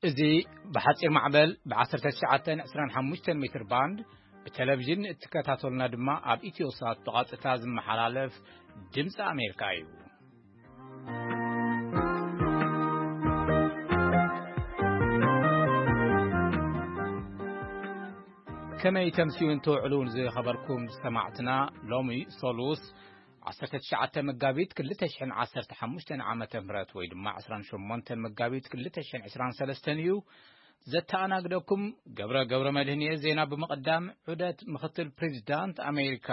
እዚ ብሓጺር ማዕበል ብ19 25 ሜትር ባንድ ብቴሌቪዥን እትከታተሉና ድማ ኣብ ኢትዮሳት ብቐጥታ ዝመሓላለፍ ድምፂ ኣሜሪካ እዩ። ከመይ ተምስዩን ትውዕሉን ዝኸበርኩም ሰማዕትና፣ ሎሚ ሶሉስ 19 መጋቢት 2015 ዓመተ ምህረት ወይ ድማ 28 መጋቢት 2023 እዩ። ዘተኣናግደኩም ገብረ ገብረ መድህን እየ። ዜና ብምቕዳም፣ ዑደት ምኽትል ፕሬዚዳንት ኣሜሪካ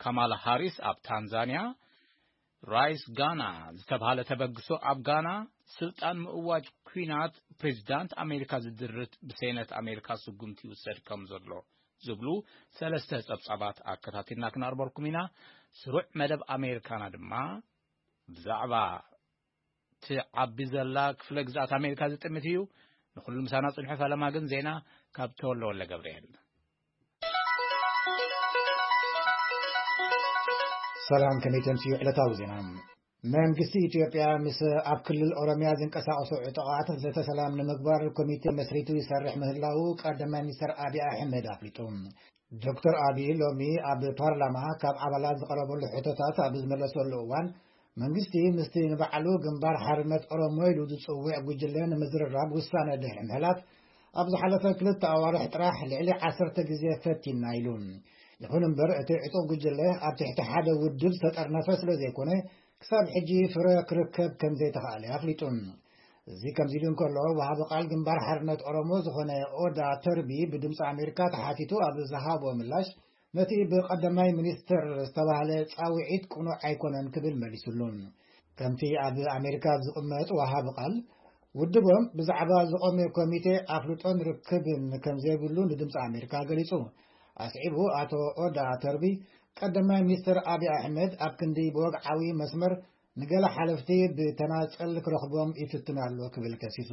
ካማላ ሃሪስ ኣብ ታንዛንያ፣ ራይስ ጋና ዝተባህለ ተበግሶ ኣብ ጋና፣ ስልጣን ምእዋጅ ኲናት ፕሬዚዳንት ኣሜሪካ ዝድርት ብሴነት ኣሜሪካ ስጉምቲ ይውሰድ ከም ዘሎ ዝብሉ ሰለስተ ጸብጻባት ኣከታቲልና ክነቕርበልኩም ኢና። ስሩዕ መደብ ኣሜሪካና ድማ ብዛዕባ ትዓቢ ዘላ ክፍለ ግዝኣት ኣሜሪካ ዝጥምት እዩ። ንኹሉ ምሳና ጽንሑ፣ ፈለማ ግን ዜና ካብ ተወልደ ወልደ ገብርኤል። ሰላም፣ ከመይ ተምስዩ ዕለታዊ ዜና። መንግስቲ ኢትዮጵያ ምስ ኣብ ክልል ኦሮሚያ ዝንቀሳቐሱ ዕጡቓት ዘተ ሰላም ንምግባር ኮሚቴ መስሪቱ ይሰርሕ ምህላዉ ቀዳማይ ሚኒስተር ኣብይ ኣሕመድ ኣፍሊጡ። ዶክተር ኣብይ ሎሚ ኣብ ፓርላማ ካብ ኣባላት ዝቐረበሉ ሕቶታት ኣብ ዝመለሰሉ እዋን፣ መንግስቲ ምስቲ ንባዕሉ ግንባር ሓርነት ኦሮሞ ኢሉ ዝጽውዕ ጉጅለ ንምዝርራብ ውሳነ ድሕሪ ምሕላፍ፣ ኣብ ዝሓለፈ ክልተ ኣዋርሕ ጥራሕ ልዕሊ 10 ግዜ ፈቲና ኢሉ። ይኹን እምበር፣ እቲ ዕጡቕ ጉጅለ ኣብ ትሕቲ ሓደ ውድብ ዝተጠርነፈ ስለ ዘይኮነ፣ ክሳብ ሕጂ ፍረ ክርከብ ከም ዘይተኻእለ ኣፍሊጡ። እዚ ከምዚ ኢሉ እንከሎ፣ ወሃቢ ቃል ግንባር ሓርነት ኦሮሞ ዝኾነ ኦዳ ተርቢ ብድምፂ ኣሜሪካ ተሓቲቱ ኣብ ዝሃቦ ምላሽ፣ ነቲ ብቀዳማይ ሚኒስትር ዝተባህለ ጻውዒት ቅኑዕ ኣይኮነን ክብል መሊሱሉ። ከምቲ ኣብ ኣሜሪካ ዝቕመጥ ወሃቢ ቃል፣ ውድቦም ብዛዕባ ዝቖመ ኮሚቴ ኣፍልጦን ርክብን ከም ዘይብሉ ንድምፂ ኣሜሪካ ገሊጹ። ኣስዒቡ ኣቶ ኦዳ ተርቢ፣ ቀዳማይ ሚኒስትር ኣብይ ኣሕመድ ኣብ ክንዲ ብወግዓዊ መስመር ንገለ ሓለፍቲ ብተናጸል ክረኽቦም ይፍትን ኣሎ ክብል ከሲሱ።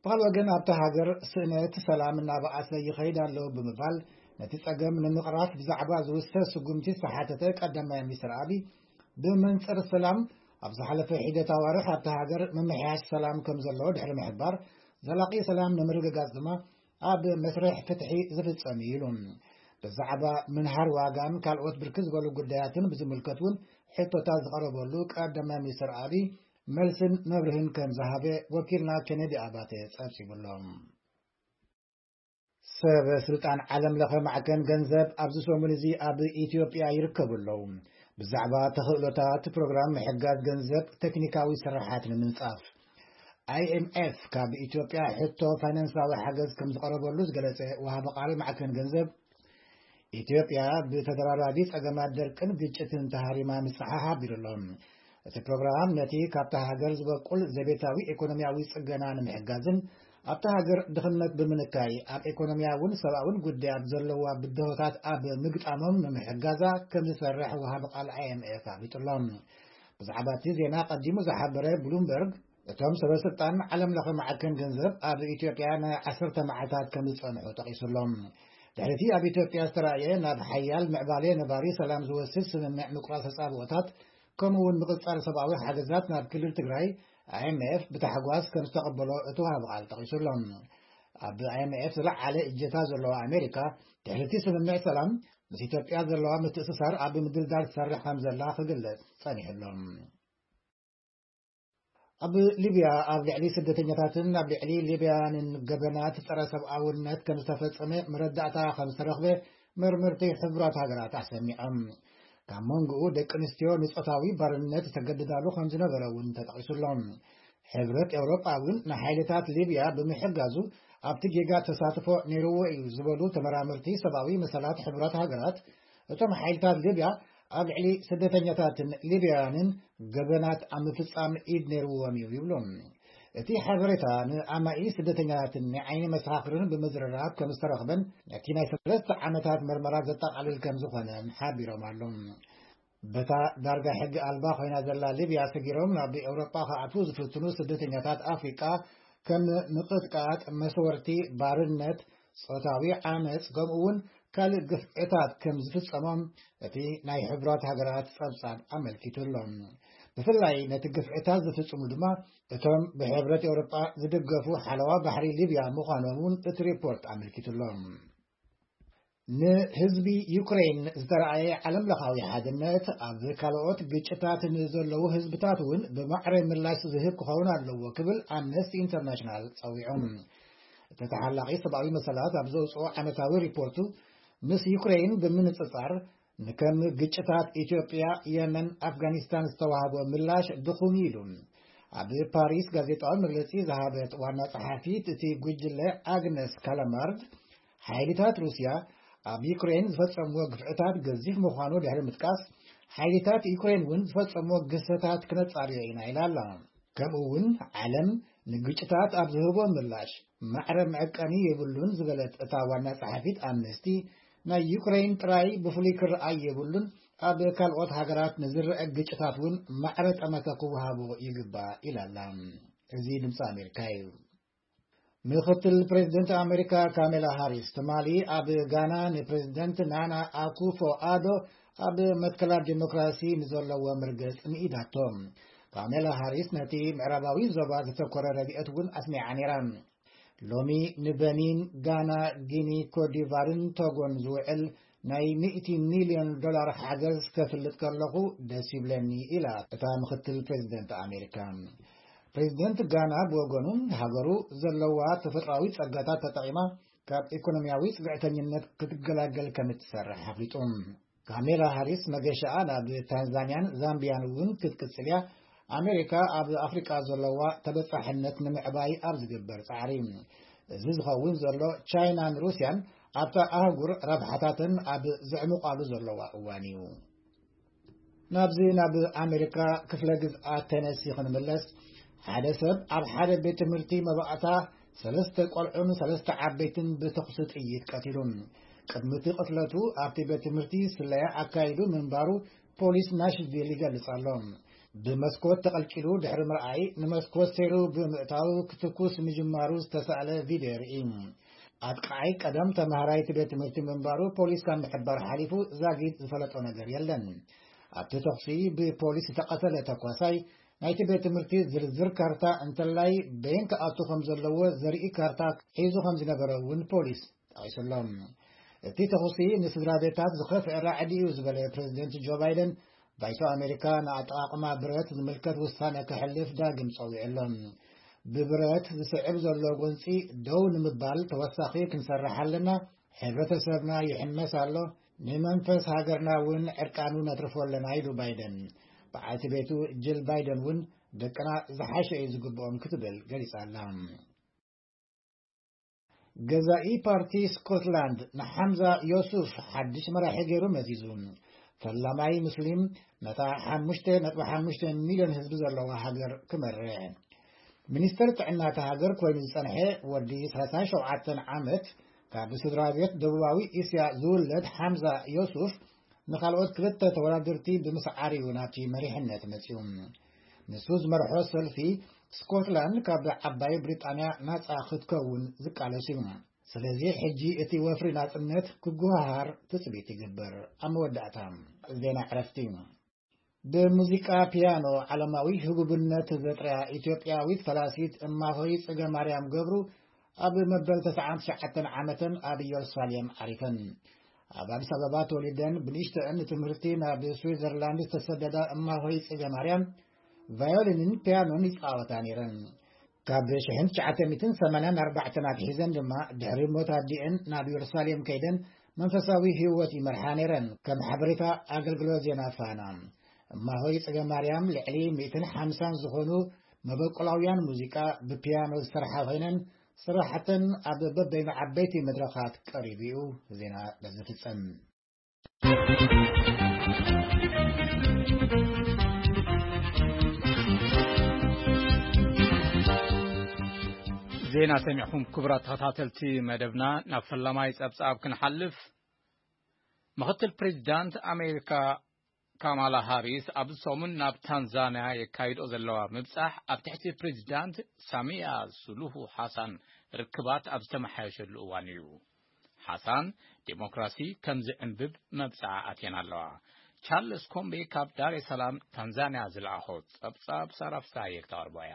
ብኻልእ ወገን፣ ኣብታ ሃገር ስእነት ሰላም እናበኣሰ ይኸይድ ኣሎ ብምባል፣ ነቲ ጸገም ንምቕራፍ ብዛዕባ ዝውሰድ ስጉምቲ ዝተሓተተ ቀዳማይ ሚኒስትር ኣብይ፣ ብመንጽር ሰላም ኣብ ዝሓለፈ ሒደት ኣዋርሕ ኣብታ ሃገር ምምሕያሽ ሰላም ከም ዘሎ ድሕሪ ምሕባር፣ ዘላቂ ሰላም ንምርግጋጽ ድማ ኣብ መስርሕ ፍትሒ ዝፍጸም እዩ ኢሉ። ብዛዕባ ምንሃር ዋጋን ካልኦት ብርክት ዝበሉ ጉዳያትን ብዝምልከት እውን ሕቶታት ዝቐረበሉ ቀዳማይ ሚኒስትር ኣብይ መልስን መብርህን ከም ዝሃበ ወኪልና ኬኔዲ ኣባተ ጸብጺቡሎም። ሰብ ስልጣን ዓለም ለኸ ማዕከን ገንዘብ ኣብዚ ሰሙን እዚ ኣብ ኢትዮጵያ ይርከቡ ኣለዉ። ብዛዕባ ተኽእሎታት ፕሮግራም ምሕጋዝ ገንዘብ ቴክኒካዊ ስራሓት ንምንጻፍ፣ ኣይኤምኤፍ ካብ ኢትዮጵያ ሕቶ ፋይናንሳዊ ሓገዝ ከም ዝቐረበሉ ዝገለጸ ወሃቢ ቃል ማዕከን ገንዘብ፣ ኢትዮጵያ ብተደራራቢ ጸገማት ደርቅን ግጭትን ተሃሪማ ምጽሓ ሓቢሩ ኣሎ። እቲ ፕሮግራም ነቲ ካብታ ሃገር ዝበቁል ዘቤታዊ ኢኮኖሚያዊ ጽገና ንምሕጋዝን ኣብታ ሃገር ድኽነት ብምንካይ ኣብ ኢኮኖሚያውን ሰብኣውን ጉዳያት ዘለዋ ብድሆታት ኣብ ምግጣሞም ንምሕጋዛ ከም ዝሰርሕ ወሃቢ ቃል ኣይኤምኤፍ ኣፍሊጡ ኣሎ። ብዛዕባ እቲ ዜና ቀዲሙ ዝሓበረ ብሉምበርግ፣ እቶም ሰበ ስልጣን ዓለም ለኸ ማዕከን ገንዘብ ኣብ ኢትዮጵያ ናይ 10 መዓልታት ከም ዝጸንሑ ጠቒሱ ኣሎ። ድሕሪቲ ኣብ ኢትዮጵያ ዝተራእየ ናብ ሓያል ምዕባለ ነባሪ ሰላም ዝወስድ ስምምዕ ምቁራጽ ተጻብኦታት፣ ከምኡ እውን ምቕጻል ሰብኣዊ ሓገዛት ናብ ክልል ትግራይ፣ ኣይኤምኤፍ ብታሕጓስ ከም ዝተቐበሎ እቲ ወሃቢ ቃል ጠቒሱ ኣሎ። ኣብ ኣይኤምኤፍ ዝለዓለ እጀታ ዘለዋ ኣሜሪካ፣ ድሕሪቲ ስምምዕ ሰላም ምስ ኢትዮጵያ ዘለዋ ምትእስሳር ኣብ ምድልዳል ትሰርሕ ከም ዘላ ክግለጽ ጸኒሑ ኣሎ። ኣብ ሊብያ ኣብ ልዕሊ ስደተኛታትን ኣብ ልዕሊ ሊብያንን ገበናት ጸረ ሰብኣውነት ከም ዝተፈጸመ መረዳእታ ከም ዝተረኽበ መርመርቲ ሕቡራት ሃገራት ኣሰሚዖም። ካብ መንጎኡ ደቂ ኣንስትዮ ንጾታዊ ባርነት ዝተገደዳሉ ከም ዝነበረ እውን ተጠቒሱሎም። ሕብረት ኤውሮጳ እውን ንሓይልታት ሊብያ ብምሕጋዙ ኣብቲ ጌጋ ተሳትፎ ነይርዎ እዩ ዝበሉ ተመራመርቲ ሰብኣዊ መሰላት ሕቡራት ሃገራት፣ እቶም ሓይልታት ሊብያ ኣብ ልዕሊ ስደተኛታትን ሊብያውያንን ገበናት ኣብ ምፍጻም ኢድ ነይርዎም እዩ ይብሉ። እቲ ሓበሬታ ንኣማኢ ስደተኛታትን ናይ ዓይኒ መሰኻኽርን ብምዝርራብ ከም ዝተረኽበን ነቲ ናይ ሰለስተ ዓመታት መርመራ ዘጠቓልል ከም ዝኾነን ሓቢሮም ኣለዉ። በታ ዳርጋ ሕጊ ኣልባ ኮይና ዘላ ሊብያ ሰጊሮም ናብ ኤውሮጳ ክኣትዉ ዝፍትኑ ስደተኛታት ኣፍሪቃ ከም ምቕጥቃጥ፣ መስወርቲ፣ ባርነት፣ ጾታዊ ዓመጽ፣ ከምኡ እውን ካልእ ግፍዕታት ከም ዝፍጸሞም እቲ ናይ ሕቡራት ሃገራት ጸብጻብ ኣመልኪቱ ኣሎ። ብፍላይ ነቲ ግፍዕታት ዝፍጽሙ ድማ እቶም ብሕብረት ኤውሮጳ ዝድገፉ ሓለዋ ባሕሪ ሊብያ ምዃኖም እውን እቲ ሪፖርት ኣመልኪቱ ኣሎ። ንህዝቢ ዩክሬን ዝተረኣየ ዓለም ለኻዊ ሓድነት ኣብ ካልኦት ግጭታት ንዘለዉ ህዝብታት እውን ብማዕረ ምላሽ ዝህብ ክኸውን ኣለዎ ክብል ኣምነስቲ ኢንተርናሽናል ጸዊዖም። እቲ ተሓላቒ ሰብኣዊ መሰላት ኣብ ዘውፅኦ ዓመታዊ ሪፖርቱ ምስ ዩክሬን ብምንጽጻር ንከም ግጭታት ኢትዮጵያ፣ የመን፣ ኣፍጋኒስታን ዝተዋህቦ ምላሽ ድኹም እዩ ኢሉ። ኣብ ፓሪስ ጋዜጣዊ መግለጺ ዝሃበት ዋና ጸሓፊት እቲ ጉጅለ ኣግነስ ካላማርድ፣ ሓይልታት ሩስያ ኣብ ዩክሬን ዝፈጸምዎ ግፍዕታት ገዚፍ ምዃኑ ድሕሪ ምጥቃስ፣ ሓይልታት ዩክሬን እውን ዝፈጸምዎ ግህሰታት ክነጻርዮ ኢና ኢላ ኣላ። ከምኡ እውን ዓለም ንግጭታት ኣብ ዝህቦ ምላሽ ማዕረ መዕቀኒ የብሉን ዝበለት እታ ዋና ጸሓፊት ኣምነስቲ፣ ናይ ዩክሬን ጥራይ ብፍሉይ ክረኣይ የብሉን፣ ኣብ ካልኦት ሃገራት ንዝረአ ግጭታት እውን ማዕረ ጠመተ ክወሃቦ ይግባእ ኢላ ኣላ። እዚ ድምፂ ኣሜሪካ እዩ። ምክትል ፕሬዚደንት ኣሜሪካ ካሜላ ሃሪስ ትማሊ ኣብ ጋና ንፕሬዚደንት ናና ኣኩፎ ኣዶ ኣብ መትከላት ዲሞክራሲ ንዘለዎ መርገጽ ንኢዳቶ። ካሜላ ሃሪስ ነቲ ምዕራባዊ ዞባ ዘተኮረ ረድኤት እውን ኣስሚዓ ነይራ። ሎሚ ንበኒን፣ ጋና፣ ጊኒ፣ ኮትዲቫርን ቶጎን ዝውዕል ናይ ሚእቲ ሚልዮን ዶላር ሓገዝ ከፍልጥ ከለኹ ደስ ይብለኒ ኢላ እታ ምክትል ፕሬዚደንት ኣሜሪካ። ፕሬዚደንት ጋና ብወገኑ ሃገሩ ዘለዋ ተፈጥሮኣዊ ጸጋታት ተጠቒማ ካብ ኢኮኖሚያዊ ጽግዕተኝነት ክትገላገል ከም እትሰርሕ ኣፍሊጡ። ካሜላ ሃሪስ መገሻኣ ናብ ታንዛንያን ዛምቢያን እውን ክትቅጽል እያ። ኣሜሪካ ኣብ ኣፍሪቃ ዘለዋ ተበጻሕነት ንምዕባይ ኣብ ዝግበር ጻዕሪ፣ እዚ ዝኸውን ዘሎ ቻይናን ሩስያን ኣብታ ኣህጉር ረብሓታተን ኣብ ዘዕምቋሉ ዘለዋ እዋን እዩ። ናብዚ ናብ ኣሜሪካ ክፍለ ግዝኣት ቴነሲ ክንምለስ፣ ሓደ ሰብ ኣብ ሓደ ቤት ትምህርቲ መባእታ ሰለስተ ቆልዑን ሰለስተ ዓበይትን ብተኹሲ ጥይት ቀቲሉ። ቅድሚ እቲ ቅትለቱ ኣብቲ ቤት ትምህርቲ ስለያ ኣካይዱ ምንባሩ ፖሊስ ናሽቪል ይገልጽ ኣሎ። ብመስኮት ተቐልቂሉ ድሕሪ ምርኣይ፣ ንመስኮት ሰይሩ ብምእታው ክትኩስ ምጅማሩ ዝተሳእለ ቪድዮ የርኢ። ኣጥቃዓይ ቀደም ተማሃራይ እቲ ቤት ትምህርቲ ምንባሩ ፖሊስ ካብ ምሕባር ሓሊፉ ዛጊድ ዝፈለጦ ነገር የለን። ኣብቲ ተኹሲ ብፖሊስ ዝተቐተለ ተኳሳይ ናይቲ ቤት ትምህርቲ ዝርዝር ካርታ እንተላይ በየን ክኣቱ ከም ዘለዎ ዘርኢ ካርታ ሒዙ ከም ዝነበረ እውን ፖሊስ ጠቒሱ ኣሎ። እቲ ተኹሲ ንስድራ ቤታት ዝኸፍአ ራዕዲ እዩ ዝበለ ፕሬዚደንት ጆ ባይደን፣ ባይቶ ኣሜሪካ ንኣጠቓቕማ ብረት ዝምልከት ውሳነ ከሕልፍ ዳግም ጸዊዑ ኣሎ። ብብረት ዝስዕብ ዘሎ ጎንጺ ደው ንምባል ተወሳኺ ክንሰርሕ ኣለና። ሕብረተሰብና ይሕመስ ኣሎ። ንመንፈስ ሃገርና እውን ዕርቃኑ ነትርፎ ኣለና ኢሉ ባይደን። በዓልቲ ቤቱ ጅል ባይደን እውን ደቅና ዝሓሸ እዩ ዝግብኦም ክትብል ገሊጻ ኣላ። ገዛኢ ፓርቲ ስኮትላንድ ንሓምዛ ዮሱፍ ሓድሽ መራሒ ገይሩ መዚዙ። ፈላማይ ሙስሊም ነታ ሓሙሽተ ነጥቢ ሓሙሽተ ሚልዮን ህዝቢ ዘለዋ ሃገር ክመርሕ። ሚኒስተር ጥዕና እታ ሃገር ኮይኑ ዝጸንሐ ወዲ ሰላሳ ሸውዓተ ዓመት ካብ ስድራ ቤት ደቡባዊ እስያ ዝውለድ ሓምዛ ዮሱፍ ንኻልኦት ክልተ ተወዳደርቲ ብምስዓር እዩ ናብቲ መሪሕነት መጺኡ። ንሱ ዝመርሖ ሰልፊ ስኮትላንድ ካብ ዓባይ ብሪጣንያ ናጻ ክትከውን ዝቃለስ እዩ። ስለዚ ሕጂ እቲ ወፍሪ ናጽነት ክጉሃሃር ትጽቢት ይግበር። ኣብ መወዳእታ ዜና ዕረፍቲ። ብሙዚቃ ፒያኖ ዓለማዊ ህቡብነት ዘጥርያ ኢትዮጵያዊት ፈላሲት እማሆይ ጽገ ማርያም ገብሩ ኣብ መበል ተስዓን ትሽዓተን ዓመተን ኣብ ኢየሩሳሌም ዓሪፈን። ኣብ ኣዲስ ኣበባ ተወሊደን ብንእሽተአን ንትምህርቲ ናብ ስዊዘርላንድ ዝተሰደዳ እማሆይ ጽገ ማርያም ቫዮሊንን ፒያኖን ይጻወታ ነይረን። ካብ ሽሕን ትሽዓተ ሚእትን ሰማንያን ኣርባዕተን ኣትሒዘን ድማ ድሕሪ ሞት ኣዲአን ናብ ኢየሩሳሌም ከይደን መንፈሳዊ ህይወት ይመርሓ ነይረን። ከም ሓበሬታ ኣገልግሎት ዜና ፋና፣ እማሆይ ጽገ ማርያም ልዕሊ ሚእትን ሓምሳን ዝኾኑ መበቆላውያን ሙዚቃ ብፒያኖ ዝሰርሓ ኮይነን፣ ስራሕተን ኣብ በበይኑ ዓበይቲ መድረኻት ቀሪቡ እዩ። ዜና በዚ ፍጸም። ዜና ሰሚዕኹም ክቡራት ተኸታተልቲ መደብና፣ ናብ ፈላማይ ጸብጻብ ክንሓልፍ። ምኽትል ፕሬዚዳንት ኣሜሪካ ካማላ ሃሪስ ኣብዚ ሰሙን ናብ ታንዛንያ የካይዶ ዘለዋ ምብጻሕ ኣብ ትሕቲ ፕሬዚዳንት ሳሚያ ሱሉሁ ሓሳን ርክባት ኣብ ዝተመሓየሸሉ እዋን እዩ። ሓሳን ዴሞክራሲ ከም ዝዕንብብ መብጽዓ ኣትየን ኣለዋ። ቻርልስ ኮምቤ ካብ ዳሬ ሰላም ታንዛንያ ዝለኣኾ ጸብጻብ ሳራፍሳየ ክተቕርቦ እያ።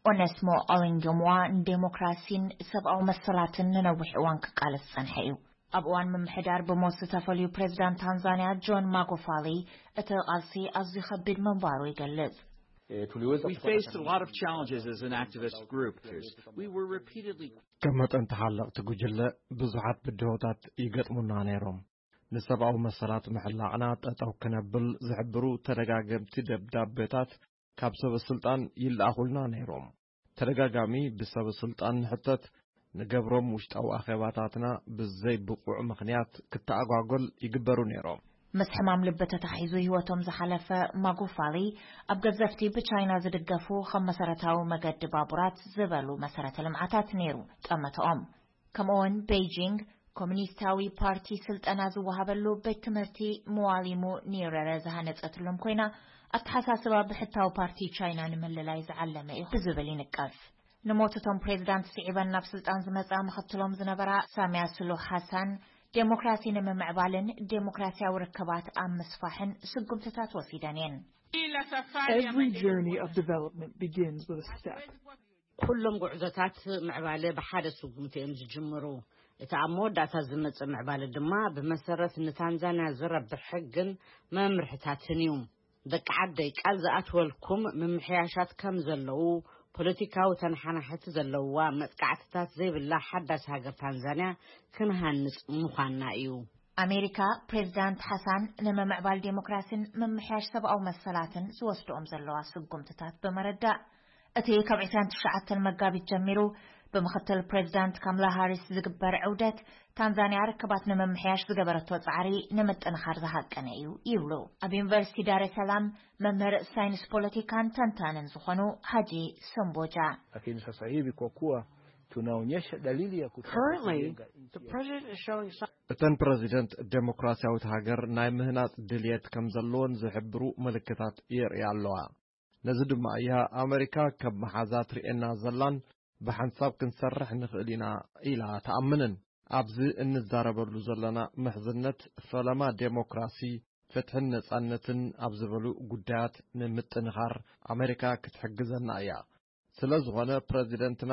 ኦነስሞ ኦሊንግምዋ ንዴሞክራሲን ሰብኣዊ መሰላትን ንነዊሕ እዋን ክቃለስ ዝጸንሐ እዩ። ኣብ እዋን ምምሕዳር ብሞት ዝተፈልዩ ፕሬዚዳንት ታንዛንያ ጆን ማጎፋሊ፣ እቲ ቃልሲ ኣዝዩ ከቢድ ምንባሩ ይገልጽ። We faced a lot of challenges as an activist group. We were repeatedly ከም መጠን ተሓለቕቲ ጉጅለ ብዙሓት ብድሆታት ይገጥሙና ነይሮም። ንሰብኣዊ መሰላት ምሕላቕና ጠጠው ክነብል ዝሕብሩ ተደጋገምቲ ደብዳቤታት ካብ ሰበ ስልጣን ይለኣኹልና ነይሮም። ተደጋጋሚ ብሰበ ስልጣን ንሕተት፣ ንገብሮም ውሽጣዊ ኣኼባታትና ብዘይ ብቑዕ ምኽንያት ክተኣጓጎል ይግበሩ ነይሮም። ምስ ሕማም ልቢ ተታሒዙ ህይወቶም ዝሓለፈ ማጉፋሊ፣ ኣብ ገዘፍቲ ብቻይና ዝድገፉ ከም መሰረታዊ መገዲ ባቡራት ዝበሉ መሰረተ ልምዓታት ነይሩ ጠመተኦም። ከምኡውን ቤይጂንግ ኮሚኒስታዊ ፓርቲ ስልጠና ዝወሃበሉ ቤት ትምህርቲ መዋሊሙ ኒረረ ዝሃነጸትሎም ኮይና፣ ኣተሓሳስባ ብሕታዊ ፓርቲ ቻይና ንምልላይ ዝዓለመ እዩ ብዝብል ይንቀፍ። ንሞት እቶም ፕሬዚዳንት ስዒበን ናብ ስልጣን ዝመጻ ምኽትሎም ዝነበራ ሳሚያ ስሉሕ ሓሳን፣ ዴሞክራሲ ንምምዕባልን ዴሞክራሲያዊ ርክባት ኣብ ምስፋሕን ስጉምትታት ወሲደን እየን። Every journey of development begins with a step. ኩሎም ጉዕዞታት ምዕባለ ብሓደ ስጉምቲ እዮም ዝጅምሩ። እቲ ኣብ መወዳእታ ዝመጽእ ምዕባለ ድማ ብመሰረት ንታንዛንያ ዝረብሕ ሕግን መምርሕታትን እዩ። ደቂ ዓደይ ቃል ዝኣትወልኩም ምምሕያሻት ከም ዘለዉ፣ ፖለቲካዊ ተነሓናሕቲ ዘለውዋ መጥቃዕትታት ዘይብላ ሓዳስ ሃገር ታንዛንያ ክንሃንጽ ምዃንና እዩ። ኣሜሪካ ፕሬዚዳንት ሓሳን ንምምዕባል ዴሞክራሲን ምምሕያሽ ሰብኣዊ መሰላትን ዝወስድኦም ዘለዋ ስጉምትታት ብምርዳእ፣ እቲ ካብ ዕስራን ትሽዓተን መጋቢት ጀሚሩ ብምኽትል ፕሬዚዳንት ካምላ ሃሪስ ዝግበር ዕውደት፣ ታንዛንያ ርክባት ንምምሕያሽ ዝገበረቶ ጻዕሪ ንምጥንኻር ዝሃቀነ እዩ ይብሉ ኣብ ዩኒቨርሲቲ ዳሬ ሰላም መምህር ሳይንስ ፖለቲካን ተንታንን ዝኾኑ ሃጂ ሰምቦጃ። Lakini sasa hivi kwa kuwa tunaonyesha dalili ya kutaka Currently, kujenga the nchi ya president is showing signs እተን ፕረዚደንት ዴሞክራሲያዊት ሃገር ናይ ምህናጽ ድልየት ከም ዘለወን ዝሕብሩ ምልክታት የርእያ ኣለዋ። ነዚ ድማ እያ ኣመሪካ ከም መሓዛ ትርእየና ዘላን ብሓንሳብ ክንሰርሕ ንኽእል ኢና ኢላ ትኣምንን። ኣብዚ እንዛረበሉ ዘለና ምሕዝነት ፈለማ ዴሞክራሲ፣ ፍትሕን ነጻነትን ኣብ ዝበሉ ጉዳያት ንምጥንኻር ኣመሪካ ክትሕግዘና እያ። ስለ ዝኾነ ፕረዚደንትና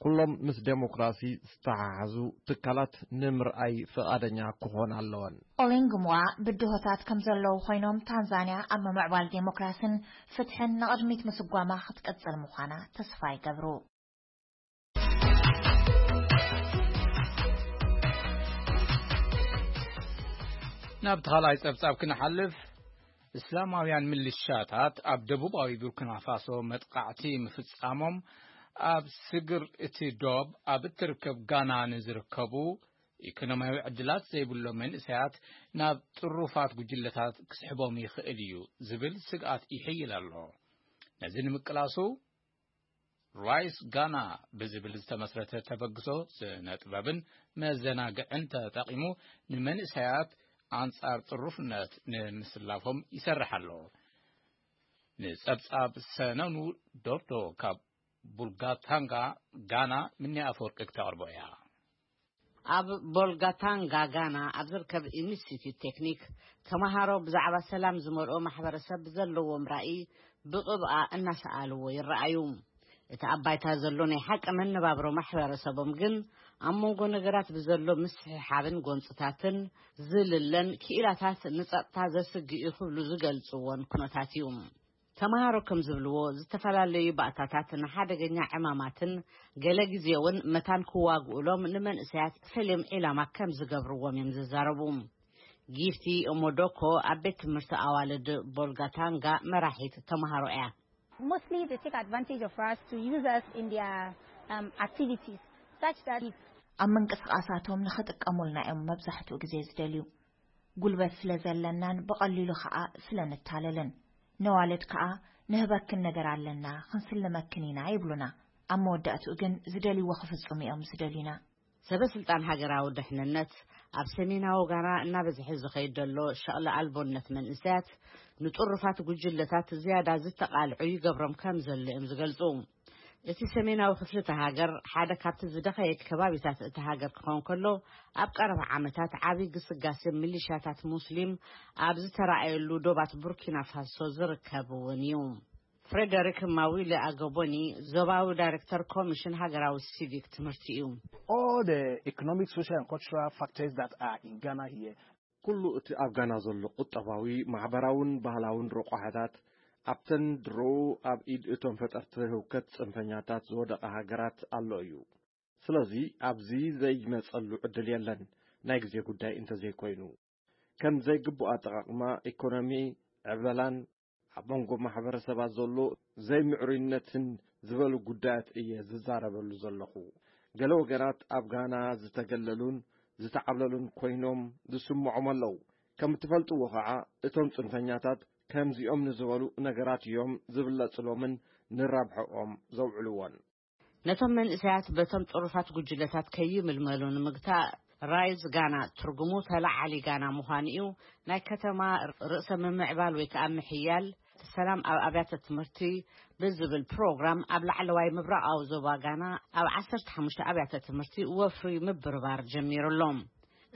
ኩሎም ምስ ዴሞክራሲ ዝተሓሓዙ ትካላት ንምርኣይ ፍቓደኛ ክኾና ኣለወን። ኦሊንግምዋ ብድሆታት ከም ዘለዉ ኮይኖም፣ ታንዛንያ ኣብ ምምዕባል ዴሞክራሲን ፍትሕን ንቕድሚት ምስጓማ ክትቅጽል ምዃና ተስፋ ይገብሩ። ናብቲ ካልኣይ ጸብጻብ ክንሓልፍ፣ እስላማውያን ምልሻታት ኣብ ደቡባዊ ቡርኪና ፋሶ መጥቃዕቲ ምፍጻሞም፣ ኣብ ስግር እቲ ዶብ ኣብ እትርከብ ጋና ንዝርከቡ ኢኮኖሚያዊ ዕድላት ዘይብሎም መንእሰያት ናብ ጥሩፋት ጉጅለታት ክስሕቦም ይኽእል እዩ ዝብል ስግኣት ይሕይል ኣሎ። ነዚ ንምቅላሱ ራይስ ጋና ብዝብል ዝተመስረተ ተበግሶ ስነ ጥበብን መዘናግዕን ተጠቒሙ ንመንእሰያት ኣንጻር ጥሩፍነት ንምስላፎም ይሰርሕ ኣሎ። ንጸብጻብ ሰነኑ ዶብዶ ካብ ቡልጋታንጋ ጋና ምኒ ኣፈወርቂ ክተቕርቦ እያ። ኣብ ቦልጋታንጋ ጋና ኣብ ዝርከብ ኢንስቲትዩት ቴክኒክ ተመሃሮ ብዛዕባ ሰላም ዝመልኦ ማሕበረሰብ ዘለዎም ራእይ ብቕብኣ እናሰኣልዎ ይረኣዩ። እቲ ኣብ ባይታ ዘሎ ናይ ሓቂ መነባብሮ ማሕበረሰቦም ግን ኣብ መንጎ ነገራት ብዘሎ ምስሕሓብን ጎንፅታትን ዝልለን ክኢላታት ንፀጥታ ዘስግእ እዩ ክብሉ ዝገልፅዎን ኩነታት እዩ። ተመሃሮ ከም ዝብልዎ ዝተፈላለዩ ባእታታት ንሓደገኛ ዕማማትን ገለ ግዜ እውን መታን ክዋግኡሎም ንመንእሰያት ፈልዮም ዒላማ ከም ዝገብርዎም እዮም ዝዛረቡ። ጊፍቲ ኦሞዶኮ ኣብ ቤት ትምህርቲ ኣዋልድ ቦልጋታንጋ መራሒት ተመሃሮ እያ። Mostly they take advantage of us to use us in their um, activities such that ኣብ ምንቅስቃሳቶም ንኽጥቀሙልና እዮም መብዛሕትኡ ግዜ ዝደልዩ። ጉልበት ስለ ዘለናን ብቐሊሉ ኸኣ ስለ ንታለልን። ነዋልድ ከኣ ንህበክን ነገር ኣለና፣ ክንስልመክን ኢና ይብሉና። ኣብ መወዳእትኡ ግን ዝደልይዎ ክፍጽሙ እዮም ዝደልዩና። ሰበ ስልጣን ሃገራዊ ድሕንነት ኣብ ሰሜናዊ ጋና እናበዝሐ ዝኸይድ ዘሎ ሸቕሊ ኣልቦነት መንእሰያት ንጥሩፋት ጉጅለታት ዝያዳ ዝተቓልዑ ይገብሮም ከም ዘሎ እዮም ዝገልጹ። እቲ ሰሜናዊ ክፍሊ እታ ሃገር ሓደ ካብቲ ዝደኸየ ከባቢታት እታ ሃገር ክኸውን ከሎ፣ ኣብ ቀረባ ዓመታት ዓቢ ግስጋሴ ሚሊሻታት ሙስሊም ኣብ ዝተራእየሉ ዶባት ቡርኪና ፋሶ ዝርከብ እውን እዩ። ፍሬደሪክ ማዊለ ኣገቦኒ ዞባዊ ዳይሬክተር ኮሚሽን ሃገራዊ ሲቪክ ትምህርቲ እዩ። All the economic, social, and cultural factors that are in Ghana here. ኩሉ እቲ ኣብ ጋና ዘሎ ቁጠባዊ፣ ማሕበራውን ባህላውን ረቋሕታት ኣብተን ድሮኡ ኣብ ኢድ እቶም ፈጠርቲ ህውከት ጽንፈኛታት ዝወደቐ ሃገራት ኣሎ እዩ። ስለዚ ኣብዚ ዘይመጸሉ ዕድል የለን፣ ናይ ግዜ ጉዳይ እንተዘይኮይኑ። ከም ዘይግቡእ ኣጠቓቕማ ኢኮኖሚ፣ ዕብለላን ኣብ መንጎ ማሕበረሰባት ዘሎ ዘይምዕሩይነትን ዝበሉ ጉዳያት እየ ዝዛረበሉ ዘለኹ። ገለ ወገናት ኣብ ጋና ዝተገለሉን ዝተዓብለሉን ኮይኖም ዝስምዖም ኣለዉ። ከም እትፈልጥዎ ኸዓ እቶም ጽንፈኛታት ከምዚኦም ንዝበሉ ነገራት እዮም ዝብለጽሎምን ንራብሐኦም ዘውዕልዎን። ነቶም መንእሰያት በቶም ጥሩፋት ጉጅለታት ከይምልመሉ ንምግታእ ራይዝ ጋና ትርጉሙ ተለዓሊ ጋና ምዃኑ እዩ። ናይ ከተማ ርእሰ ምምዕባል ወይ ከዓ ምሕያል ሰላም ኣብ ኣብያተ ትምህርቲ ብዝብል ፕሮግራም ኣብ ላዕለዋይ ምብራቓዊ ዞባ ጋና ኣብ ዓሰርተ ሓሙሽተ ኣብያተ ትምህርቲ ወፍሪ ምብርባር ጀሚሩ ኣሎ።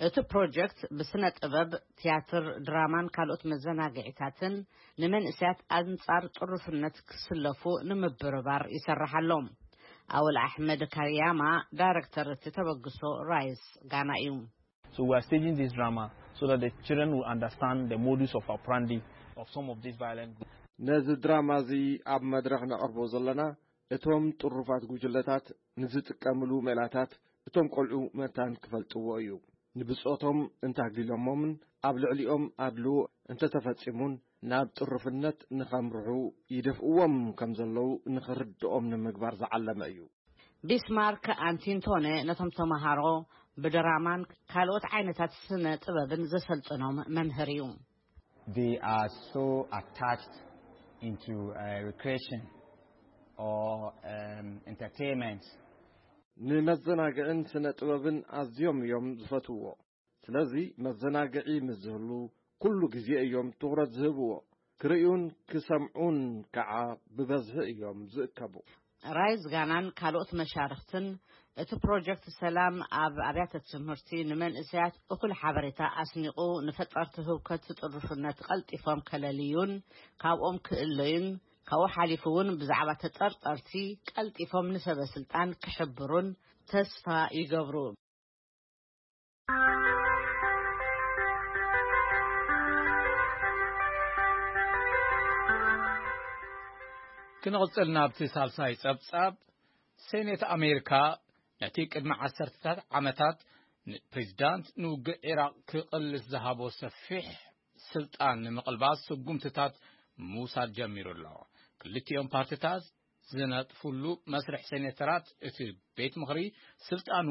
እቲ ፕሮጀክት ብስነ ጥበብ፣ ቲያትር፣ ድራማን ካልኦት መዘናግዒታትን ንመንእሰያት ኣንጻር ጥሩፍነት ክስለፉ ንምብርባር ይሰርሕ ኣሎ። ኣወል ኣሕመድ ካርያማ ዳይረክተር እቲ ተበግሶ ራይስ ጋና እዩ። So we are staging this drama so that the children will understand the modus of operandi of some of these violent groups. ነዚ ድራማ እዚ ኣብ መድረኽ ነቕርቦ ዘለና እቶም ጥሩፋት ጉጅለታት ንዝጥቀምሉ ሜላታት እቶም ቆልዑ መታን ክፈልጥዎ እዩ። ንብጾቶም እንተኣግሊሎሞምን ኣብ ልዕሊኦም ኣድልዎ እንተተፈጺሙን ናብ ጥሩፍነት ንኸምርሑ ይደፍእዎም ከም ዘለዉ ንኽርድኦም ንምግባር ዝዓለመ እዩ። ቢስማርክ ኣንቲንቶነ ነቶም ተመሃሮ ብድራማን ካልኦት ዓይነታት ስነ ጥበብን ዘሰልጥኖም መምህር እዩ። They are so attached into uh, recreation or um, entertainment. ንመዘናግዕን ስነ ጥበብን ኣዝዮም እዮም ዝፈትውዎ። ስለዚ መዘናግዒ ምስ ዝህሉ ኩሉ ግዜ እዮም ትኹረት ዝህብዎ። ክርእዩን ክሰምዑን ከዓ ብበዝሒ እዮም ዝእከቡ። ራይዝ ጋናን ካልኦት መሻርኽትን እቲ ፕሮጀክት ሰላም ኣብ ኣብያተ ትምህርቲ ንመንእሰያት እኹል ሓበሬታ ኣስኒቑ ንፈጠርቲ ህውከት ጥሩፍነት ቀልጢፎም ከለልዩን ካብኦም ክእለዩን ካብኡ ሓሊፉ እውን ብዛዕባ ተጠርጠርቲ ቀልጢፎም ንሰበ ስልጣን ክሕብሩን ተስፋ ይገብሩ። ክንቕጽል ናብቲ ሳልሳይ ጸብጻብ። ሴኔት ኣሜሪካ ነቲ ቅድሚ ዓሰርተታት ዓመታት ንፕሬዚዳንት ንውግእ ዒራቕ ክቕልስ ዝሃቦ ሰፊሕ ስልጣን ንምቕልባስ ስጉምትታት ምውሳድ ጀሚሩ ኣሎ። ክልቲኦም ፓርቲታት ዝነጥፍሉ መስርሕ ሴኔተራት እቲ ቤት ምኽሪ ስልጣኑ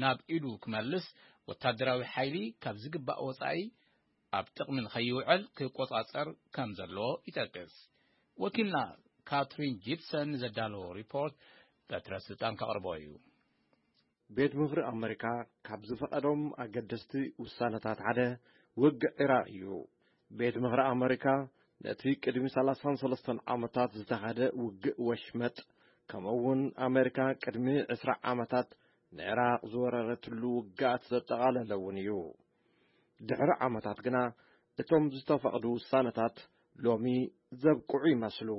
ናብ ኢዱ ክመልስ ወታደራዊ ሓይሊ ካብ ዝግባእ ወጻኢ ኣብ ጥቕሚ ንኸይውዕል ክቆጻጸር ከም ዘለዎ ይጠቅስ። ወኪልና ካትሪን ጂፕሰን ንዘዳለዎ ሪፖርት በትረ ስልጣን ከቕርቦ እዩ። ቤት ምኽሪ ኣመሪካ ካብ ዝፈቐዶም ኣገደስቲ ውሳነታት ሓደ ውግእ ዒራቕ እዩ። ቤት ምኽሪ ኣመሪካ ነቲ ቅድሚ ሰላሳን ሰለስተን ዓመታት ዝተኻደ ውግእ ወሽመጥ፣ ከምኡ እውን ኣመሪካ ቅድሚ ዕስራ ዓመታት ንዒራቕ ዝወረረትሉ ውግኣት ዘጠቓለለ እውን እዩ። ድሕሪ ዓመታት ግና እቶም ዝተፈቕዱ ውሳነታት ሎሚ ዘብቅዑ ይመስሉ።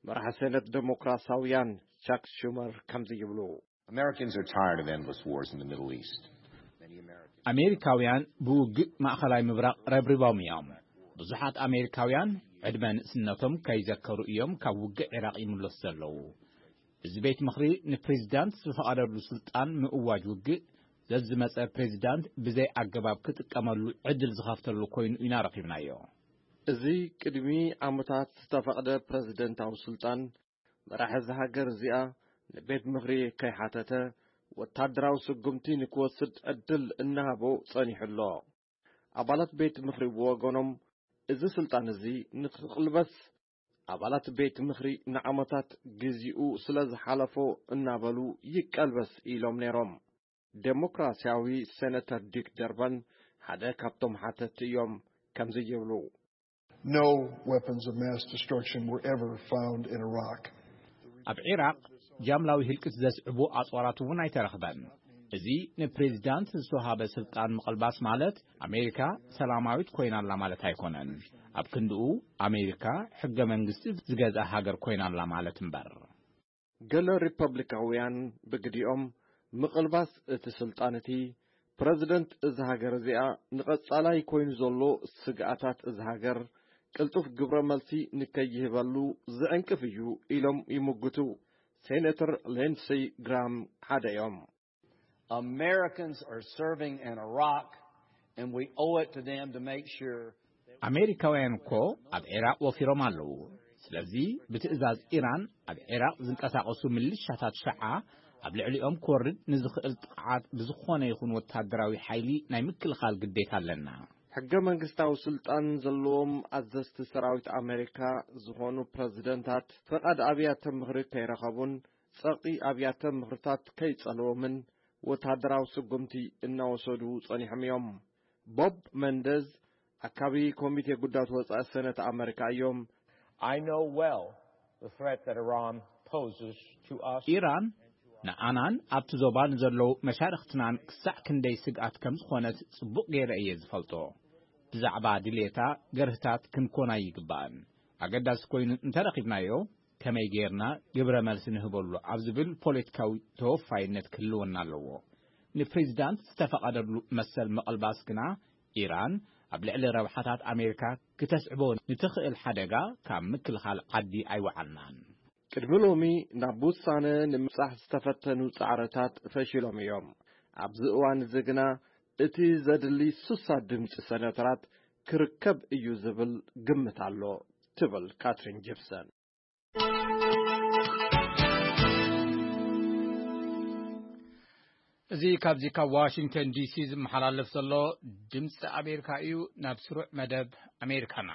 መራሒ ሴነት ዴሞክራሲያውያን ቻክ ሹመር ከምዚ ይብሉ። Americans are tired of endless wars in the Middle East. Many Americans ኣሜሪካውያን ብውግእ ማእኸላይ ምብራቕ ረብሪቦም እዮም። ብዙሓት ኣሜሪካውያን ዕድመ ንእስነቶም ከይዘከሩ እዮም ካብ ውግእ ዒራቕ ይምለሱ ዘለዉ። እዚ ቤት ምኽሪ ንፕሬዚዳንት ዝፈቐደሉ ስልጣን ምእዋጅ ውግእ ዘዝመጸ ፕሬዚዳንት ብዘይ ኣገባብ ክጥቀመሉ ዕድል ዝኸፍተሉ ኮይኑ ኢና ረኺብናዮ። እዚ ቅድሚ ዓመታት ዝተፈቕደ ፕረዚደንታዊ ስልጣን መራሒ እዛ ሃገር እዚኣ ንቤት ምኽሪ ከይሓተተ ወታደራዊ ስጉምቲ ንክወስድ ዕድል እናሃቦ ጸኒሑ ኣሎ። ኣባላት ቤት ምኽሪ ብወገኖም እዚ ስልጣን እዚ ንክቕልበስ ኣባላት ቤት ምኽሪ ንዓመታት ግዚኡ ስለ ዝሓለፎ እናበሉ ይቀልበስ ኢሎም ነይሮም። ዴሞክራሲያዊ ሴነተር ዲክ ደርበን ሓደ ካብቶም ሓተቲ እዮም። ከምዚ ይብሉ። No weapons of mass destruction were ever found in Iraq. ኣብ ዒራቕ ጃምላዊ ህልቂት ዘስዕቡ ኣጽዋራት እውን ኣይተረኽበን። እዚ ንፕሬዚዳንት ዝተዋሃበ ስልጣን ምቕልባስ ማለት ኣሜሪካ ሰላማዊት ኮይና ኣላ ማለት ኣይኮነን። ኣብ ክንድኡ ኣሜሪካ ሕገ መንግስቲ ዝገዝኣ ሃገር ኮይና ኣላ ማለት እምበር። ገለ ሪፐብሊካውያን ብግዲኦም ምቕልባስ እቲ ስልጣን እቲ ፕረዚደንት እዚ ሃገር እዚኣ ንቐጻላይ ኮይኑ ዘሎ ስግኣታት እዚ ሃገር ቅልጡፍ ግብረ መልሲ ንከይህበሉ ዝዕንቅፍ እዩ ኢሎም ይምጉቱ። ሴኔተር ሌንሲ ግራም ሓደ እዮም። Americans are serving in Iraq, and we owe it to them to make sure ኣሜሪካውያን እኮ ኣብ ዒራቕ ወፊሮም ኣለዉ። ስለዚ ብትእዛዝ ኢራን ኣብ ዒራቕ ዝንቀሳቐሱ ምልሻታት ሸዓ ኣብ ልዕሊኦም ክወርድ ንዝኽእል ጥቕዓት ብዝኾነ ይኹን ወታደራዊ ሓይሊ ናይ ምክልኻል ግዴታ ኣለና። ሕገ መንግስታዊ ስልጣን ዘለዎም ኣዘዝቲ ሰራዊት ኣሜሪካ ዝኾኑ ፕረዚደንታት ፈቓድ ኣብያተ ምኽሪ ከይረኸቡን ጸቕጢ ኣብያተ ምኽርታት ከይጸልዎምን ወታደራዊ ስጉምቲ እናወሰዱ ጸኒሖም እዮም። ቦብ መንደዝ ኣካቢ ኮሚቴ ጉዳት ወጻኢ ሰነት ኣመሪካ እዮም። I know well the threat that Iran poses to us. ኢራን ንኣናን ኣብቲ ዞባ ንዘለዉ መሻርኽትናን ክሳዕ ክንደይ ስግኣት ከም ዝኾነት ጽቡቕ ገይረ እየ ዝፈልጦ። ብዛዕባ ድሌታ ገርህታት ክንኮን ኣይግባእን። ኣገዳሲ ኮይኑ እንተረኺብናዮ ከመይ ጌርና ግብረ መልሲ ንህበሉ ኣብ ዝብል ፖለቲካዊ ተወፋይነት ክህልወና ኣለዎ። ንፕሬዚዳንት ዝተፈቐደሉ መሰል ምቕልባስ ግና ኢራን ኣብ ልዕሊ ረብሓታት ኣሜሪካ ክተስዕቦ ንትኽእል ሓደጋ ካብ ምክልኻል ዓዲ ኣይወዓልናን። ቅድሚ ሎሚ ናብ ውሳነ ንምብጻሕ ዝተፈተኑ ጻዕርታት ፈሺሎም እዮም። ኣብዚ እዋን እዚ ግና እቲ ዘድሊ ሱሳ ድምጺ ሰነተራት ክርከብ እዩ ዝብል ግምት ኣሎ ትብል ካትሪን ጂፕሰን። እዚ ካብዚ ካብ ዋሽንግተን ዲሲ ዝመሓላለፍ ዘሎ ድምፂ ኣሜሪካ እዩ። ናብ ስሩዕ መደብ ኣሜሪካና።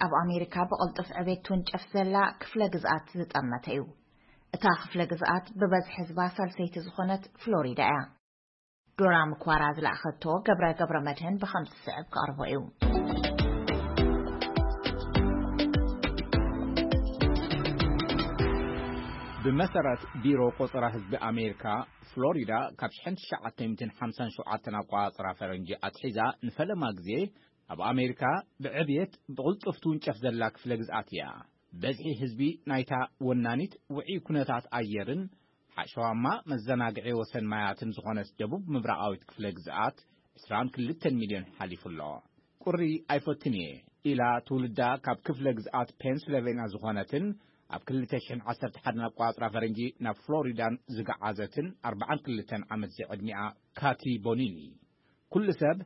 ኣብ ኣሜሪካ ብቕልጡፍ ዕቤት ትውንጨፍ ዘላ ክፍለ ግዝኣት ዝጠመተ እዩ። እታ ክፍለ ግዝኣት ብበዝሒ ህዝባ ሳልሰይቲ ዝኾነት ፍሎሪዳ እያ። ዶራ ምኳራ ዝለኣኸቶ ገብረ ገብረ መድህን ብኸምዚ ዝስዕብ ክቐርቦ እዩ። ብመሰረት ቢሮ ቆጸራ ህዝቢ ኣሜሪካ፣ ፍሎሪዳ ካብ ሽሕን ትሽዓተ ሚእትን ሓምሳን ሸውዓተን ኣቆጻጽራ ፈረንጂ ኣትሒዛ ንፈለማ ግዜ ኣብ ኣሜሪካ ብዕብየት ብቕልጡፍ ትውንጨፍ ዘላ ክፍለ ግዝኣት እያ። በዝሒ ህዝቢ ናይታ ወናኒት ውዑይ ኩነታት ኣየርን ሓሸዋማ መዘናግዒ ወሰን ማያትን ዝኾነት ደቡብ ምብራቓዊት ክፍለ ግዝኣት ዕስራን ክልተን ሚልዮን ሓሊፉ ኣሎ። ቁሪ ኣይፈቱን እየ ኢላ ትውልዳ ካብ ክፍለ ግዝኣት ፔንስለቬንያ ዝኾነትን ኣብ ክልተ ሽሕን ዓሰርተ ሓደን ኣቆጻጽራ ፈረንጂ ናብ ፍሎሪዳን ዝገዓዘትን ኣርባዓን ክልተን ዓመት ዝዕድሚኣ ካቲ ቦኒኒ፣ ኩሉ ሰብ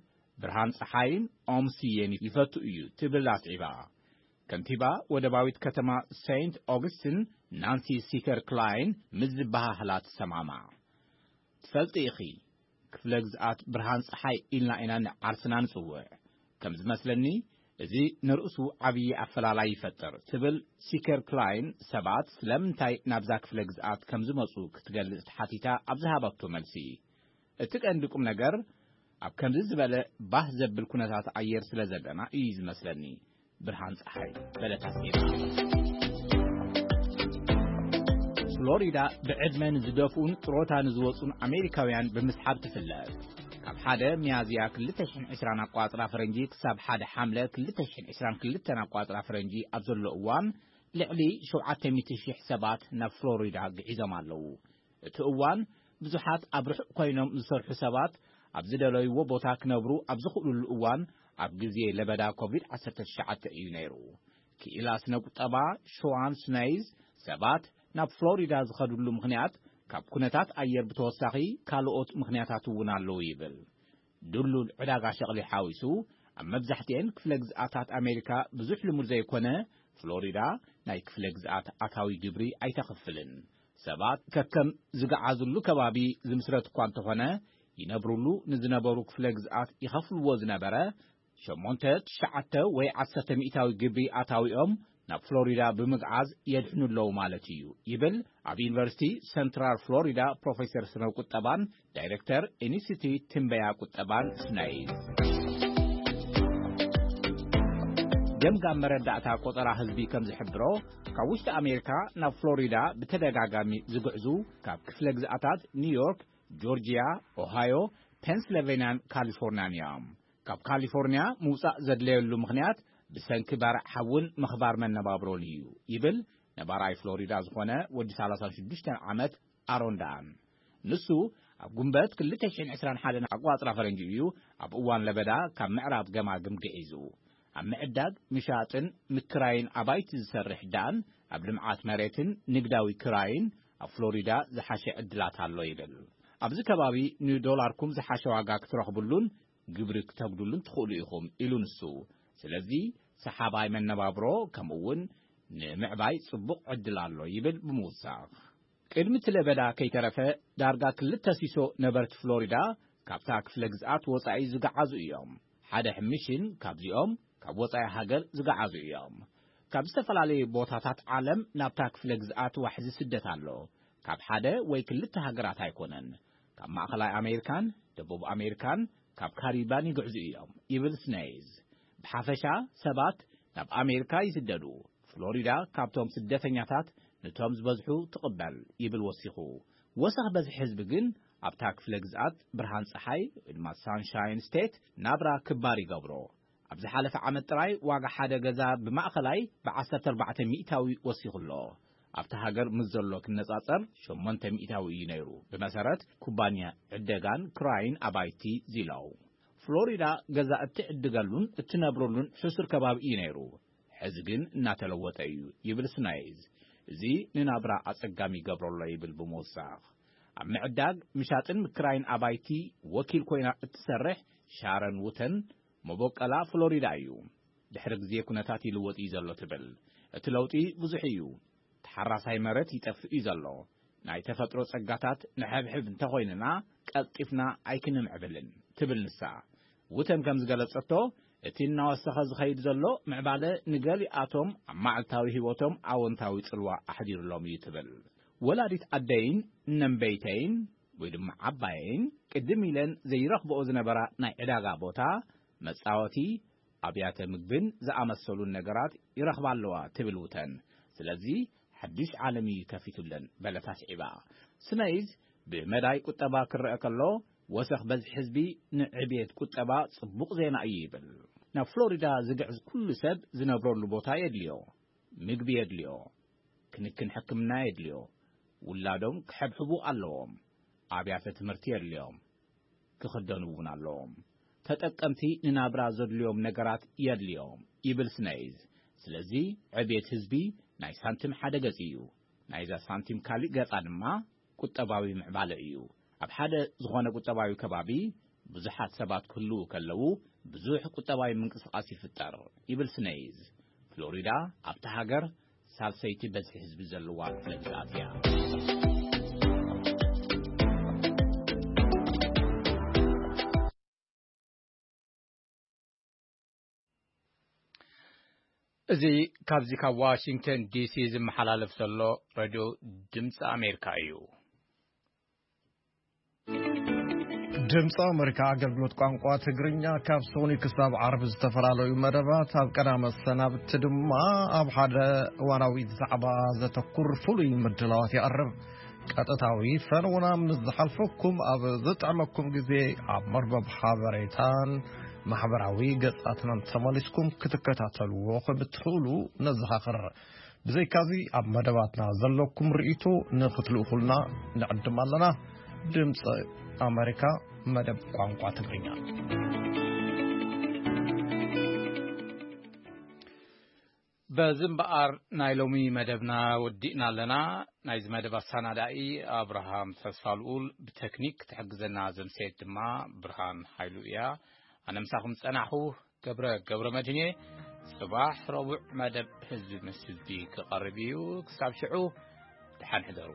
ብርሃን ጸሓይን ኦም ስየን ይፈቱ እዩ ትብል ኣስዒባ። ከንቲባ ወደባዊት ከተማ ሴንት ኦግስትን ናንሲ ሲከር ክላይን ምስ ዝበሃህላ ትሰማማዕ። ትፈልጢ ኢኺ፣ ክፍለ ግዝኣት ብርሃን ጸሓይ ኢልና ኢና ንዓርስና ንጽውዕ። ከም ዝመስለኒ፣ እዚ ንርእሱ ዓብዪ ኣፈላላይ ይፈጥር ትብል ሲከር ክላይን፣ ሰባት ስለምንታይ ናብዛ ክፍለ ግዝኣት ከም ዝመጹ ክትገልጽ ተሓቲታ ኣብ ዝሃበቶ መልሲ። እቲ ቀንዲ ቁም ነገር ኣብ ከምዚ ዝበለ ባህ ዘብል ኩነታት ኣየር ስለ ዘለና እዩ ዝመስለኒ። ብርሃን ጸሓይ በለታ ሴራ። ፍሎሪዳ ብዕድመ ንዝደፍኡን ጥሮታ ንዝወጹን ኣሜሪካውያን ብምስሓብ ትፍለጥ። ካብ ሓደ ሚያዝያ ክልተ ሽሕን ዕስራን ኣቋጽራ ፈረንጂ ክሳብ ሓደ ሓምለ ክልተ ሽሕን ዕስራን ክልተን ኣቋጽራ ፈረንጂ ኣብ ዘሎ እዋን ልዕሊ ሸውዓተ ሚእቲ ሽሕ ሰባት ናብ ፍሎሪዳ ግዒዞም ኣለዉ። እቲ እዋን ብዙሓት ኣብ ርሑቕ ኮይኖም ዝሰርሑ ሰባት ኣብ ዝደለይዎ ቦታ ክነብሩ ኣብ ዝኽእሉሉ እዋን ኣብ ግዜ ለበዳ ኮቪድ ዓሰርተ ትሽዓተ እዩ ነይሩ። ክኢላ ስነ ቁጠባ ሸዋን ስናይዝ ሰባት ናብ ፍሎሪዳ ዝኸድሉ ምኽንያት ካብ ኩነታት ኣየር ብተወሳኺ ካልኦት ምኽንያታት እውን ኣለዉ ይብል። ድሉል ዕዳጋ ሸቕሊ ሓዊሱ ኣብ መብዛሕትኤን ክፍለ ግዝኣታት ኣሜሪካ ብዙሕ ልሙድ ዘይኮነ ፍሎሪዳ ናይ ክፍለ ግዝኣት ኣታዊ ግብሪ ኣይተኽፍልን። ሰባት ከከም ዝገዓዙሉ ከባቢ ዝምስረት እኳ እንተኾነ ይነብሩሉ ንዝነበሩ ክፍለ ግዝኣት ይኸፍልዎ ዝነበረ ሸሞንተ ትሽዓተ ወይ ዓሰርተ ሚእታዊ ግብሪ ኣታዊኦም ናብ ፍሎሪዳ ብምግዓዝ የድሕኑ ኣለዉ ማለት እዩ ይብል ኣብ ዩኒቨርሲቲ ሰንትራል ፍሎሪዳ ፕሮፌሰር ስነ ቁጠባን ዳይሬክተር ኢንስቲትዩት ትንበያ ቁጠባን ስነይዝ። ገምጋም መረዳእታ ቆጠራ ህዝቢ ከም ዝሕብሮ፣ ካብ ውሽጢ ኣሜሪካ ናብ ፍሎሪዳ ብተደጋጋሚ ዝግዕዙ፣ ካብ ክፍለ ግዝኣታት ኒውዮርክ፣ ጆርጂያ፣ ኦሃዮ፣ ፔንስልቬንያን ካሊፎርንያን እዮም። ካብ ካሊፎርንያ ምውጻእ ዘድለየሉ ምኽንያት ብሰንኪ ባርዕ ሓውን ምኽባር መነባብሮን እዩ ይብል ነባራይ ፍሎሪዳ ዝኾነ ወዲ ሰላሳ ሽዱሽተ ዓመት ኣሮን ዳን። ንሱ ኣብ ጉንበት ክልተ ሽሕን ዕስራን ሓደን ኣቋጽራ ፈረንጂ እዩ ኣብ እዋን ለበዳ ካብ ምዕራብ ገማግም ግዒዙ። ኣብ ምዕዳግ፣ ምሻጥን ምክራይን ኣባይቲ ዝሰርሕ ዳን፣ ኣብ ልምዓት መሬትን ንግዳዊ ክራይን ኣብ ፍሎሪዳ ዝሓሸ ዕድላት ኣሎ ይብል። ኣብዚ ከባቢ ንዶላርኩም ዝሓሸ ዋጋ ክትረኽብሉን ግብሪ ክተጉድሉን ትኽእሉ ኢኹም ኢሉ ንሱ። ስለዚ ሰሓባይ መነባብሮ ከምኡ እውን ንምዕባይ ጽቡቕ ዕድል ኣሎ ይብል ብምውሳኽ። ቅድሚ እቲ ለበዳ ከይተረፈ ዳርጋ ክልተ ሲሶ ነበርቲ ፍሎሪዳ ካብታ ክፍለ ግዝኣት ወጻኢ ዝገዓዙ እዮም። ሓደ ሕምሽን ካብዚኦም ካብ ወጻኢ ሃገር ዝገዓዙ እዮም። ካብ ዝተፈላለዩ ቦታታት ዓለም ናብታ ክፍለ ግዝኣት ዋሕዚ ስደት ኣሎ። ካብ ሓደ ወይ ክልተ ሃገራት ኣይኮነን። ካብ ማእኸላይ ኣሜሪካን ደቡብ ኣሜሪካን ካብ ካሪባን ይግዕዙ እዮም ይብል ስነይዝ። ብሓፈሻ ሰባት ናብ ኣሜሪካ ይስደዱ። ፍሎሪዳ ካብቶም ስደተኛታት ንቶም ዝበዝሑ ትቕበል ይብል ወሲኹ። ወሰኽ በዝሒ ህዝቢ ግን ኣብታ ክፍለ ግዝኣት ብርሃን ፀሓይ ወይ ድማ ሳንሻይን ስቴት ናብራ ክባር ይገብሮ። ኣብ ዝሓለፈ ዓመት ጥራይ ዋጋ ሓደ ገዛ ብማእኸላይ ብ ዓሰርተ ኣርባዕተ ሚእታዊ ወሲኹ ኣሎ። ኣብቲ ሃገር ምስ ዘሎ ክነጻጸር ሸሞንተ ሚእታዊ እዩ ነይሩ። ብመሰረት ኩባንያ ዕደጋን ክራይን ኣባይቲ ዚላው፣ ፍሎሪዳ ገዛ እትዕድገሉን እትነብረሉን ሕሱር ከባቢ እዩ ነይሩ። ሕዚ ግን እናተለወጠ እዩ ይብል ስናይዝ። እዚ ንናብራ ኣጸጋሚ ይገብሮ ኣሎ ይብል ብምውሳኽ። ኣብ ምዕዳግ፣ ምሻጥን ምክራይን ኣባይቲ ወኪል ኮይና እትሰርሕ ሻረን ውተን፣ መቦቀላ ፍሎሪዳ እዩ። ድሕሪ ግዜ ኩነታት ይልወጥ እዩ ዘሎ ትብል። እቲ ለውጢ ብዙሕ እዩ። ተሓራሳይ መሬት ይጠፍእ እዩ ዘሎ። ናይ ተፈጥሮ ጸጋታት ንሕብሕብ እንተኾይንና ቀልጢፍና ኣይክንምዕብልን ትብል ንሳ። ውተን ከም ዝገለጸቶ፣ እቲ እናወሰኸ ዝኸይድ ዘሎ ምዕባለ ንገሊኣቶም ኣብ መዓልታዊ ህይወቶም ኣወንታዊ ጽልዋ ኣሕዲሩሎም እዩ ትብል። ወላዲት ኣደይን ነንበይተይን ወይ ድማ ዓባየይን ቅድም ኢለን ዘይረኽብኦ ዝነበራ ናይ ዕዳጋ ቦታ፣ መጻወቲ፣ ኣብያተ ምግብን ዝኣመሰሉን ነገራት ይረኽባ ኣለዋ ትብል ውተን። ስለዚ ሓድሽ ዓለም እዩ ከፊቱለን በለት ኣስዒባ። ስነይዝ ብመዳይ ቁጠባ ክረአ ከሎ፣ ወሰኽ በዝሒ ህዝቢ ንዕብየት ቁጠባ ጽቡቕ ዜና እዩ ይብል። ናብ ፍሎሪዳ ዝግዕዝ ኩሉ ሰብ ዝነብረሉ ቦታ የድልዮ፣ ምግቢ የድልዮ፣ ክንክን ሕክምና የድልዮ፣ ውላዶም ክሕብሕቡ ኣለዎም፣ ኣብያተ ትምህርቲ የድልዮም፣ ክኽደኑ እውን ኣለዎም። ተጠቀምቲ ንናብራ ዘድልዮም ነገራት የድልዮም ይብል ስነይዝ። ስለዚ ዕብየት ህዝቢ ናይ ሳንቲም ሓደ ገጽ እዩ። ናይዛ ሳንቲም ካሊእ ገጻ ድማ ቁጠባዊ ምዕባለ እዩ። ኣብ ሓደ ዝኾነ ቁጠባዊ ከባቢ ብዙሓት ሰባት ክህልዉ ከለዉ ብዙሕ ቁጠባዊ ምንቅስቓስ ይፍጠር ይብል ስነይዝ። ፍሎሪዳ ኣብታ ሃገር ሳልሰይቲ በዝሒ ህዝቢ ዘለዋ ክፍለ ግዝኣት እያ። እዚ ካብዚ ካብ ዋሽንግተን ዲሲ ዝመሓላለፍ ዘሎ ሬድዮ ድምፂ ኣሜሪካ እዩ። ድምፂ ኣሜሪካ ኣገልግሎት ቋንቋ ትግርኛ ካብ ሶኒ ክሳብ ዓርቢ ዝተፈላለዩ መደባት፣ ኣብ ቀዳመ ሰናብቲ ድማ ኣብ ሓደ እዋናዊ ዛዕባ ዘተኩር ፍሉይ ምድላዋት ይቐርብ። ቀጥታዊ ፈነውና ምስ ዝሓልፈኩም፣ ኣብ ዝጥዕመኩም ግዜ ኣብ መርበብ ሓበሬታን ማሕበራዊ ገጻትናን ተመሊስኩም ክትከታተልዎ ከም እትኽእሉ ነዘኻኽር። ብዘይካዚ፣ ኣብ መደባትና ዘለኩም ርእይቶ ንኽትልእኹልና ንዕድም ኣለና። ድምፂ ኣሜሪካ፣ መደብ ቋንቋ ትግርኛ። በዚ እምበኣር ናይ ሎሚ መደብና ወዲእና ኣለና። ናይዚ መደብ ኣሰናዳኢ ኣብርሃም ተስፋልኡል፣ ብቴክኒክ ክትሕግዘና ዘምሰየት ድማ ብርሃን ሃይሉ እያ። ኣነ ምሳኹም ዝጸናሕኩ ገብረ ገብረ መድህን እየ። ጽባሕ ረቡዕ መደብ ህዝቢ ምስ ህዝቢ ክቐርብ እዩ። ክሳብ ሽዑ ደሓን ሕደሩ።